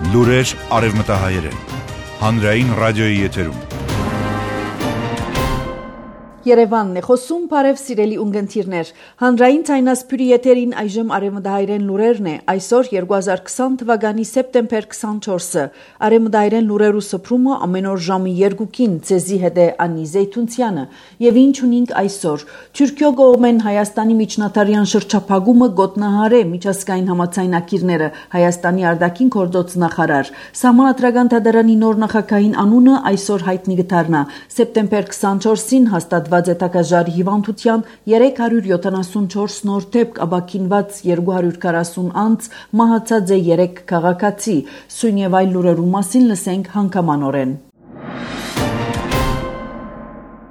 Լուրեր արևմտահայերեն, հանրային ռադիոյի եթերում։ Երևանն է խոսում, բարև սիրելի ունգընթիրներ։ Հանրային ցայնասփյուրի եթերին այժմ արևմտահայերեն լուրերն է։ Այսօր 2020 թվականի սեպտեմբեր 24-ը։ Արևմտահայերեն լուրերու սփռումը ամեն օր ժամի 2-ին ցեզի հետ է Անի Զեյթունցյանը։ Եվ ինչ ունենք այսօր։ Թուրքիո կողմեն Հայաստանի միջնադարյան շրջափակումը գոտնահարե միջազգային համաձայնագիրները, Հայաստանի արտաքին գործոց նախարար։ Սահմանադրական դատարանի նոր նախագահին անունը այսօր հայտնի կդառնա։ Սեպտեմբեր 24-ին հաստատված Տակաժարի հիվանդության 374 նոր դեպք, ապաքինված 240 անձ, մահացած է 3 քաղաքացի։ Սույն եւ այլ լուրերու մասին լսենք հանգամանորեն։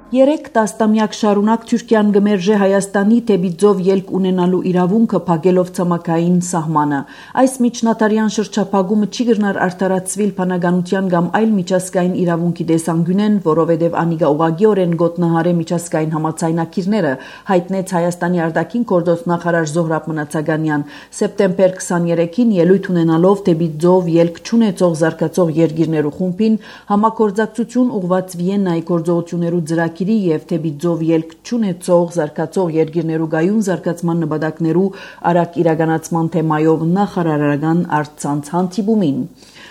3 տասնամյակ շարունակ Թուրքիան գմերժե Հայաստանի դեպի ծով ելք ունենալու իրավունքը փակելով ցամաքային սահմանը։ Այս միջնադարյան շրջափակումը չի գտնար արդարացվել բանականության կամ այլ միջազգային իրավունքի տեսանկյունեն, որովհետև անիկա ուղղակիորեն գոտնահարե միջազգային համաձայնագիրները, հայտնեց Հայաստանի արտաքին գործոց նախարար Զոհրաբ Մնացականյան։ Սեպտեմբեր 23-ին ելույթ ունենալով դեպի ծով ելք չունեցող զարգացող երկիրներու խումբին համագործակցություն ուղղված Վիեննայի գործողություններու ծրագիր եւ դեպի ծով ելք չունեցող զարգացող երկիրներու գայուն զարգացման նպատակներու արագ իրականացման թեմայով նախարարական առցանց հանդիպումին։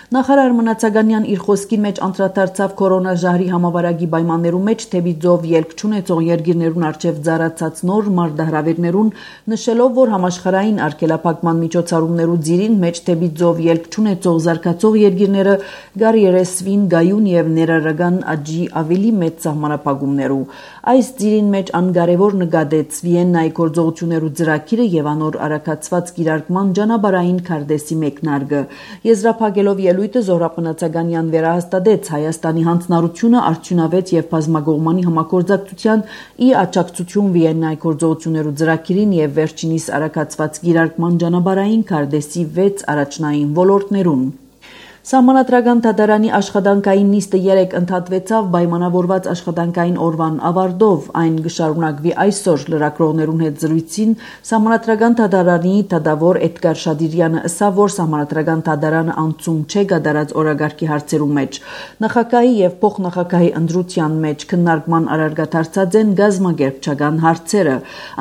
Նախարար Մնացականյան իր խոսքի մեջ անդրադարձավ կորոնաժահրի համավարակի պայմաններու մեջ դեպի ծով ելք չունեցող երկիրներուն արչեւ ծառացած նոր մարտահրավերներուն, նշելով, որ համաշխարհային արգելափակման միջոցառումներու ծիրին մեջ դեպի ծով ելք չունեցող զարգացող երկիրները գարիերեսվին գայուն եւ ներառական աճի ավելի մեծ սահմանափակումներու։ Այս ծիրին մեջ անկարևոր նկատեց Վիեննայի գործողություններու ծրագիրը եւ անոր արագացված կիրարկման ճանապարհային քարտեզի մեկնարկը։ Եզրափակելով ելույթը Զոհրաբ Մնացականյան վերահաստատեց Հայաստանի հանձնառությունը արդյունավետ եւ բազմակողմանի համագործակցության ի աջակցություն Վիեննայի գործողություններու ծրագիրին եւ վերջինիս արագացված կիրարկման ճանապարհային քարտեզի 6 առաջնային ոլորտներուն։ Սահմանադրական դատարանի աշխատանքային նիստը 3 ընդհատվեցավ պայմանավորված աշխատանքային օրվան ավարտով։ Այն կշարունակվի այսօր լրագրողներուն հետ զրույցին Սահմանադրական դատարանի դատավոր Էդգար Շադիրյանը ասավ, որ Սահմանադրական դատարանը անցում չէ կատարած օրագարկի հարցերու մեջ։ Նախագահի եւ փոխնախագահի ընտրության մեջ քննարկման առարգադարձած են գազམ་ակերպչական հարցերը։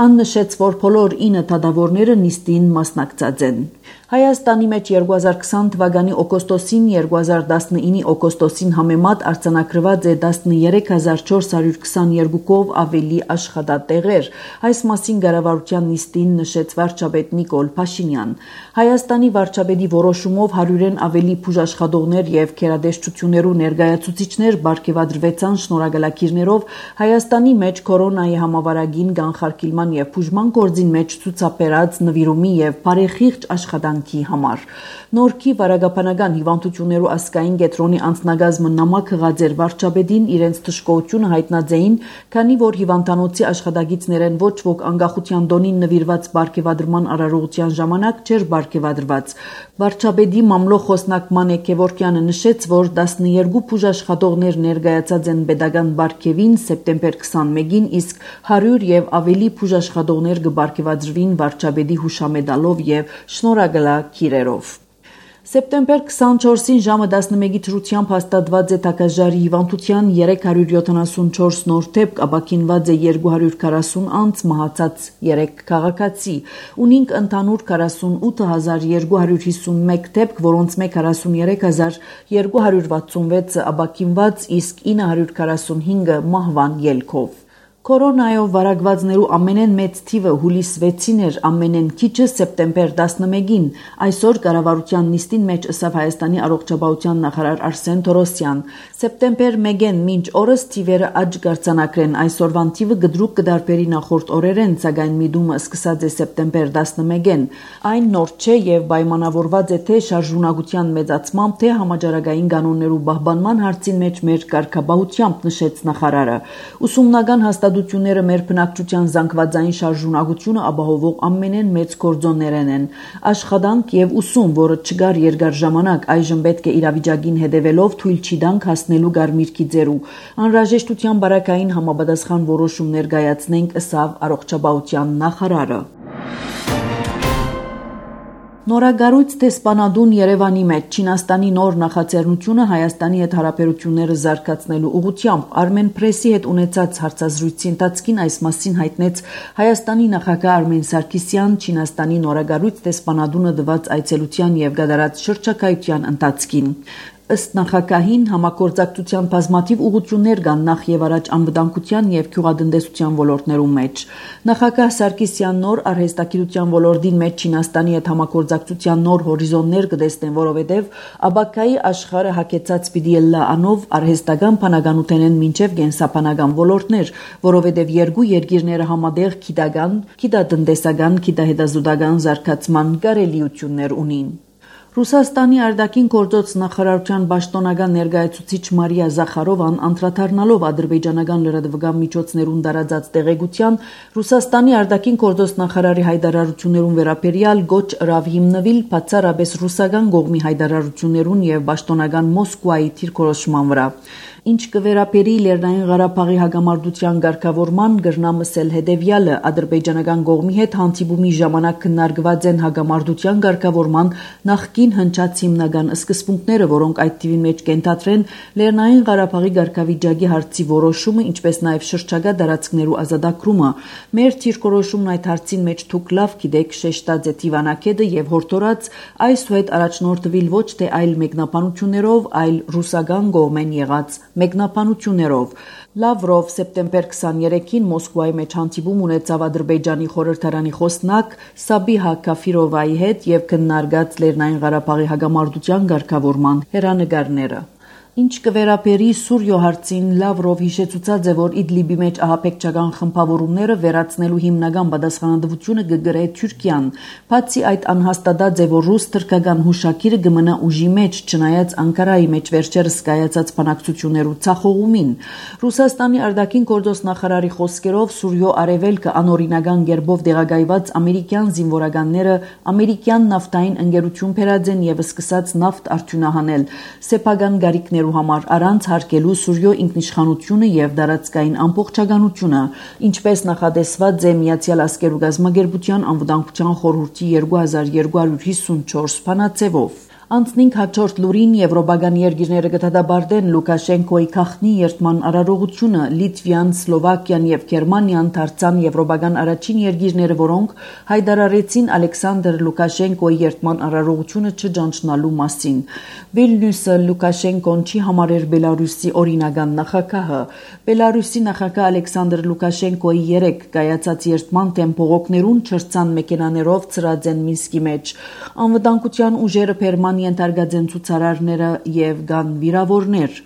Ան նշեց, որ բոլոր 9 դատավորները նիստին մասնակցած են։ Հայաստանի մեջ 2020 թվականի օգոստոսին 2019-ի օգոստոսին համեմատ արձանագրված է 13422-ով ավելի աշխատատեղեր։ Այս մասին կառավարության նիստին նշեց վարչապետ Նիկոլ Փաշինյան։ Հայաստանի վարչապետի որոշումով 100-ն ավելի բուժաշխատողներ եւ քերադեշտություններու ներկայացուցիչներ բարգեւադրվեցան շնորհակալագիրներով Հայաստանի մեջ կորոնայի համավարակին կանխարգելման եւ բուժման գործին մեջ ցուցաբերած նվիրումի եւ բարեխիղճ աշխատանքի համար։ Նորքի վարակապանական հիվանդություններու ազգային կենտրոնի անձնագազմը նամակ հղած էր վարչապետին իրենց թշկողությունը հայտնածեին, քանի որ հիվանդանոցի աշխատակիցներեն ոչ ոք անկախության տոնին նվիրված բարգեւադրման արարողության ժամանակ չէր բարգեւադրված։ Վարչապետի մամլո խոսնակ Մանե Քևորքյանը նշեց, որ 12 բուժաշխատողներ ներկայացած են պետական բարգեւին սեպտեմբեր 21-ին, իսկ 100 եւ ավելի բուժաշխատողներ կբարգեւադրվին վարչապետի հուշամեդալով եւ շնորհակալագիրերով։ Սեպտեմբեր 24-ին ժամը 11-ի դրությամբ հաստատված է Տակաժարի հիվանդության 374 նոր դեպք, ապաքինված է 240 անձ, մահացած 3 քաղաքացի։ Ունենք ընդհանուր 48251 դեպք, որոնց 43266 ապաքինված, իսկ 945-ը մահվան ելքով։ Կորոնայով վարակվածներու ամենեն մեծ թիվը հուլիս 6-ին էր, ամենեն քիչը սեպտեմբեր 11-ին։ Այսօր կառավարության նիստին մեջ ըսավ Հայաստանի առողջապահության նախարար Արսեն Թորոսյան։ Սեպտեմբեր 1-ին մինչ օրս թիվերը աճ կարձանագրեն։ Այսօրվան թիվը գդրուկ կդարբերի նախորդ օրերեն, սակայն միտումը սկսած է սեպտեմբեր 11-ին։ Այն նոր չէ եւ պայմանավորված է թե շարժունակության մեծացմամբ, թե համաճարակային կանոններու պահպանման հարցին մեջ մեր կարգապահությամբ, նշեց նախարարը։ Ուսումնական հաստատությունները մեր բնակչության զանգվածային շարժունակությունը ապահովող ամենեն մեծ գործոններն են։ Աշխատանք եւ ուսում, որը չգար երկար ժամանակ, այժմ պետք է իրավիճակին հետևելով թույլ չի տանք հասնելու գարմիրքի ձեռու։ Անհրաժեշտության բարակային համապատասխան որոշում ներկայացնենք, ըսավ առողջապահության նախարարը։ Նորագարույց տեսփանադուն Երևանի մեջ Չինաստանի նոր նախաձեռնությունը Հայաստանի հետ հարաբերությունները զարգացնելու ուղղությամբ Armen Press-ի հետ ունեցած հարցազրույցի ընթացքին այս մասին հայտնեց Հայաստանի նախագահ Արմեն Սարգսյան Չինաստանի նորագարույց տեսփանադունը տված այցելության եւ գդարած շրջակայության ընթացքին։ Ըստ նախագահին համագործակցության բազմաթիվ ուղղություններ կան նախ եւ առաջ անվտանգության եւ գյուղատնտեսության ոլորտներում մեջ։ Նախագահ Սարգսյան նոր արհեստագիտության ոլորտին մեջ Չինաստանի հետ համագործակցության նոր հորիզոններ կտեսնեն, որովհետեւ աբակայի աշխարհը հակեցած պիտի լա անով արհեստական բանականութենեն մինչեւ կենսաբանական ոլորտներ, որովհետեւ երկու երկիրները համատեղ գիտական, գիտատնտեսական, գիտահետազոտական զարգացման կարելիություններ ունին։ Ռուսաստանի արտաքին գործոց նախարարության պաշտոնական ներկայացուցիչ Մարիա Զախարովան անդրադառնալով ադրբեջանական լրատվական միջոցներուն տարածած տեղեկության Ռուսաստանի արտաքին գործոց նախարարի հայտարարություններուն վերաբերյալ գոչ ըրավ հիմնվել բացառապես ռուսական կողմի հայտարարություններուն եւ պաշտոնական Մոսկվայի դիրքորոշման վրա։ Ինչ կվերապերի Լեռնային Ղարաբաղի հակամարտության ղեկավարման գրնամսել հետևյալը ադրբեջանական կողմի հետ հանդիպումի ժամանակ քննարկված են հակամարտության ղեկավարման նախկին հնչած հիմնական սկզբունքները, որոնք այդ թվին մեջ կենտրոնեն Լեռնային Ղարաբաղի ղեկավարի հարցի որոշումը, ինչպես նաև շրջակա տարածքներու ազատագրումը։ Մեր դիրքորոշումն այդ հարցին մեջ դուք լավ գիտեք, շեշտած է Տիվանակեդը եւ հորդորած այսուհետ առաջնորդվել ոչ թե այլ մեկնաբանություններով, այլ ռուսական կողմեն եղած մեկնաբանություններով։ Լավրով սեպտեմբեր 23-ին Մոսկվայի մեջ հանդիպում ունեցավ Ադրբեջանի խորհրդարանի խոսնակ Սաբիհա Քաֆիրովայի հետ եւ քննարկած Լեռնային Ղարաբաղի հակամարտության ղեկավարման հերանեկարները։ Ինչ կվերապերի Սուրիո հարցին Լավրով հիշեցուցած է, որ Իդլիբի մեջ ահաբեկչական խմբավորումները վերացնելու հիմնական պատասխանատվությունը կգրե Թուրքիան։ Բացի այդ անհաստատած է, որ ռուս-թուրքական հուշագիրը կմնա ուժի մեջ, չնայած Անկարայի մեջ վերջերս կայացած բանակցություններու ցախողումին։ Ռուսաստանի արտաքին գործոց նախարարի խոսքերով Սուրիո արևելքը անօրինական գերբով դեղագայված ամերիկյան զինվորականները ամերիկյան նավթային ընկերություն բերած են եւ սկսած նավթ արդյունահանել սեփական գարիքներ համար առանց հարգելու Սուրիո ինքնիշխանությունը եւ տարածքային ամբողջականությունը, ինչպես նախադեсված է Միացյալ Ազգերու գազագերբության անվտանգության խորհրդի 2254 բանաձևով։ Անցնինք հաջորդ լուրին եվրոպական երկիրները կդադարեն Լուկաշենկոյի քաղտնի երթման արարողությունը Լիտվան, Սլովակիան եւ Գերմանիան դարձան եվրոպական առաջին երկիրները, որոնք հայտարարեցին Ալեքսանդր Լուկաշենկոյի երթման արարողությունը չճանչնալու մասին։ Վիլնյուսը Լուկաշենկոն չի համարեր Բելարուսի օրինական նախագահը։ Բելարուսի նախագահ Ալեքսանդր Լուկաշենկոյի երեք կայացած երթման դեմ բողոքներուն չրցան մեքենաներով ծրած են Մինսկի մեջ։ Անվտանգության ուժերը Բերման ենթարկած են ցուցարարները եւ կան վիրավորներ։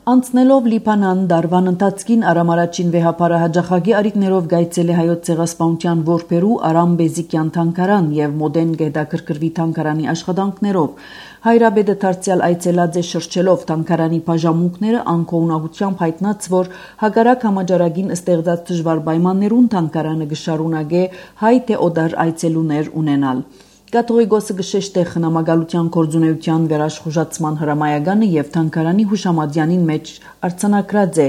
Անցնելով Լիբանան դարվան ընթացքին Արամ առաջին վեհապարը հաջախագի արիկներով գայցել է հայոց ցեղասպանության որբերու Արամ Բեզիկյան թանգարան եւ մոդեն գետակրկրվի թանգարանի աշխատանքներով։ Հայրաբեդը դարձյալ այցելած է շրջելով թանգարանի բաժանմունքները անկողունակությամբ հայտնած, որ հակառակ համաճարակին ստեղծած դժվար պայմաններուն թանգարանը կշարունակե հայ թե օտար այցելուներ ունենալ։ Կաթողիկոսը գշեշտ է խնամակալության գործունեության վերաշխուժացման հրամայականը եւ թանգարանի հուշամատյանին մեջ արձանագրած է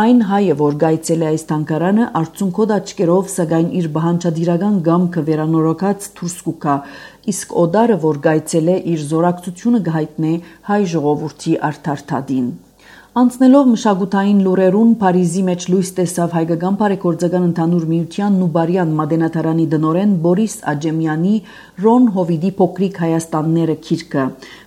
այն հայը, որ գայցել է այս թանգարանը արցունքոտ աչքերով, սակայն իր բանջարդիրական գամքը վերանորոգած դուրս կուքա, իսկ օդարը, որ գայցել է, իր զորակցությունը կհայտնե հայ ժողովրդի արդարթադին։ Անցնելով մշակութային լուրերուն Փարիզի մեջ լույս տեսավ հայկական բարեգործական ընդհանուր միության Նուբարյան մատենադարանի դնորեն Բորիս Աջեմյանի Ռոն Հովիդի փոքրիկ Հայաստանները գիրքը։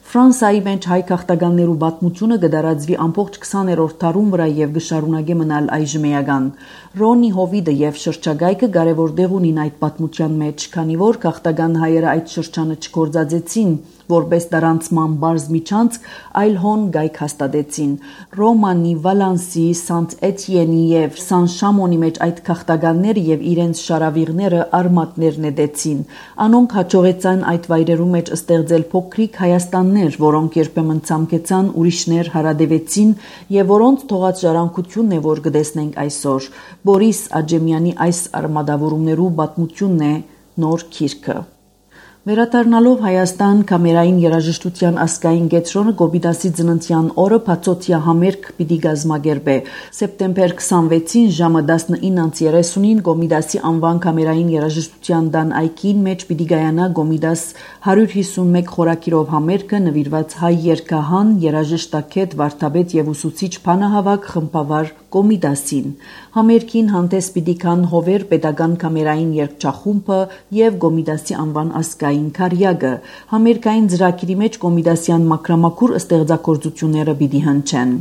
Ֆրանսայի մեջ հայ քաղաքականներու պատմությունը կդարածվի ամբողջ 20-րդ դարում վրա եւ կշարունակե մնալ այժմեական։ Ռոնի Հովիդը եւ շրջագայքը կարևոր դեղ ունին այդ պատմության մեջ, քանի որ քաղաքական հայերը այդ շրջանը չգործածեցին որպես դարանցման բարձ միջանցք, այլ հոն գայք հաստատեցին։ Ռոմանի, Վալանսի, Սանտ Էտիենի եւ Սան Շամոնի մեջ այդ քաղաքականները եւ իրենց շարավիղները արմատներ նետեցին։ Անոնք հաջողեցան այդ վայրերու մեջ ստեղծել փոքրիկ Հայաստաններ, որոնք երբեմն ցամքեցան, ուրիշներ հարադեվեցին եւ որոնց թողած ժառանգությունն է, որ կտեսնենք այսօր։ Բորիս Աջեմյանի այս արմատավորումներու պատմությունն է նոր գիրքը։ Վերադառնալով Հայաստան, կամերային երաժշտության ազգային կենտրոնը Կոմիտասի ծննդյան օրը բացօթյա համերգ պիտի կազմակերպի։ Սեպտեմբեր 26-ին ժամը 19:30-ին Կոմիտասի անվան կամերային երաժշտության տան այգին մեջ պիտի կայանա Կոմիտաս 151 խորագիրով համերգը նվիրված հայ երգահան, երաժշտագետ, վարդապետ եւ ուսուցիչ բանահավաք խմբավար Կոմիտասին։ Համերգին հանդես պիտի գան Հովեր պետական կամերային երգչախումբը եւ Կոմիտասի անվան ազգային քարյակը։ Համերգային ծրագիրի մեջ կոմիտասյան մակրամակուր ստեղծագործությունները պիտի հնչեն։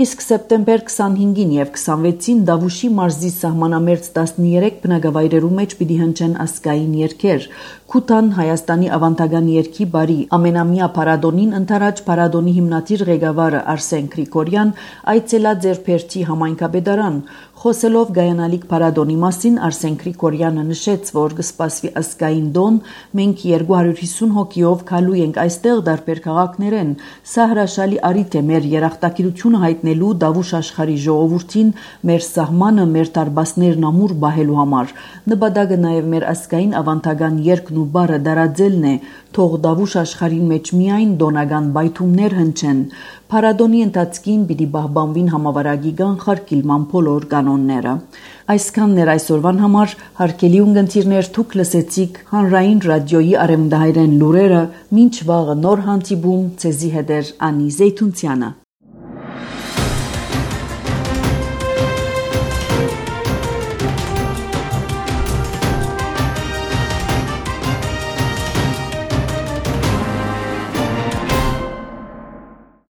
Իսկ սեպտեմբեր 25-ին եւ 26-ին Դավուշի մարզի սահմանամերձ 13 բնակավայրերու մեջ պիտի հնչեն ազգային երգեր։ Քութան Հայաստանի ավանդական երգի բարի ամենամյա փառատոնին ընթരാճ փառատոնի հիմնադիր ղեկավարը Արսեն Գրիգորյան այցելած էր Փերթի համայնքապետարան։ Խոսելով գայանալիք փառատոնի մասին Արսեն Գրիգորյանը նշեց, որ կսպասվի ազգային տոն, մենք 250 հոգիով գալու ենք այստեղ դարբեր քաղաքներեն։ Սա հրաշալի առիթ է մեր երախտագիտությունը հայտնելու Դավուշ աշխարհի ժողովրդին, մեր սահմանը, մեր տարբասներն ամուր բահելու համար։ Նպատակը նաև մեր ազգային ավանդական երգն ու բառը դարաձելն է, թող Դավուշ աշխարհի մեջ միայն տոնական բայթումներ հնչեն։ Փառատոնի ընթացքին պիտի պահպանվին համավարակի կանխարգելման բոլոր կանոնները։ Այսքանն էր այսօրվան համար, հարգելի ունկնդիրներ, դուք լսեցիք Հանրային ռադիոյի արևմտահայերեն լուրերը, մինչ վաղը նոր հանդիպում, ցեզի հետ Անի Զեյթունցյանը։